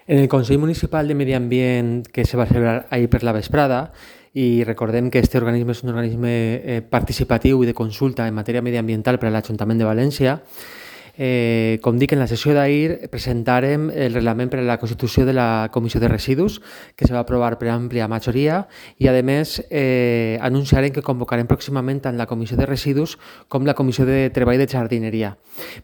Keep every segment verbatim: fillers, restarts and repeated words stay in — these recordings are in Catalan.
En el Consell Municipal de Medi Ambient que se va celebrar ahir per la vesprada, i recordem que aquest organisme és un organisme eh, participatiu i de consulta en matèria mediambiental per a l'Ajuntament de València, Eh, com dic, en la sessió d'ahir presentarem el reglament per a la constitució de la Comissió de Residus, que se va aprovar per àmplia majoria, i a més eh, anunciarem que convocarem pròximament tant la Comissió de Residus com la Comissió de Treball de Jardineria.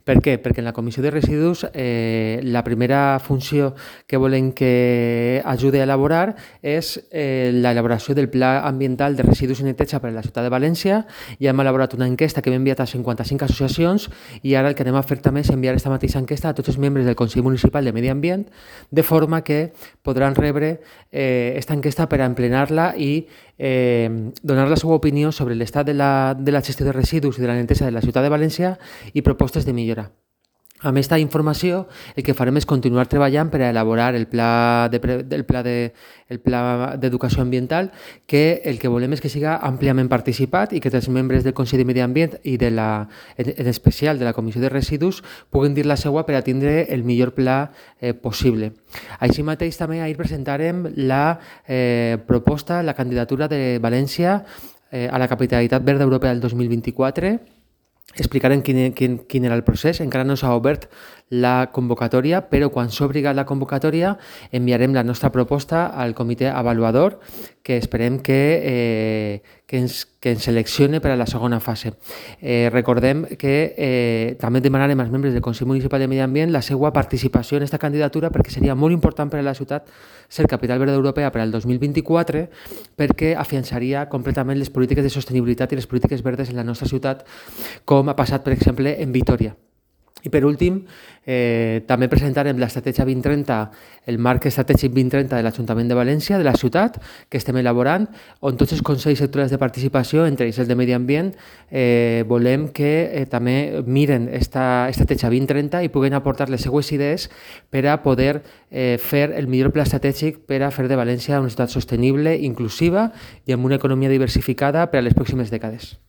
Per què? Perquè en la Comissió de Residus eh, la primera funció que volem que ajudi a elaborar és eh, l'elaboració del Pla Ambiental de Residus i Neteja per a la ciutat de València. Ja hem elaborat una enquesta que hem enviat a cinquanta-cinc associacions i ara el que anem a fer també és enviar aquesta mateixa enquesta a tots els membres del Consell Municipal de Medi Ambient, de forma que podran rebre aquesta eh, enquesta per a emplenar-la i eh, donar la seva opinió sobre l'estat de, la, de la gestió de residus i de la neteja de la ciutat de València i propostes de millora. Amb aquesta informació, el que farem és continuar treballant per a elaborar el pla de, el pla de, el pla d'educació ambiental, que el que volem és que siga àmpliament participat i que els membres del Consell de Medi Ambient i de la, en especial de la Comissió de Residus puguin dir la seva per a tindre el millor pla eh, possible. Així mateix també ahir presentarem la eh, proposta, la candidatura de València eh, a la Capitalitat Verda Europea del dos mil vint-i-quatre. Explicarem quin, quin, quin era el procés. Encara no s'ha obert la convocatòria, però quan s'obri la convocatòria enviarem la nostra proposta al comitè avaluador, que esperem que, eh, que, ens, que ens seleccione per a la segona fase. Eh, recordem que eh, també demanarem als membres del Consell Municipal de Medi Ambient la seva participació en aquesta candidatura, perquè seria molt important per a la ciutat ser capital verda europea per al dos mil vint-i-quatre, perquè afiançaria completament les polítiques de sostenibilitat i les polítiques verdes en la nostra ciutat, com ha passat, per exemple, en Vitoria. I per últim, eh, també presentarem l'estratègia vint trenta, el marc estratègic vint trenta de l'Ajuntament de València, de la ciutat, que estem elaborant, on tots els consells sectorials de participació, entre ells el de Medi Ambient, eh, volem que eh, també miren aquesta estratègia vint trenta i puguen aportar les seues idees per a poder eh, fer el millor pla estratègic per a fer de València una ciutat sostenible, inclusiva i amb una economia diversificada per a les pròximes dècades.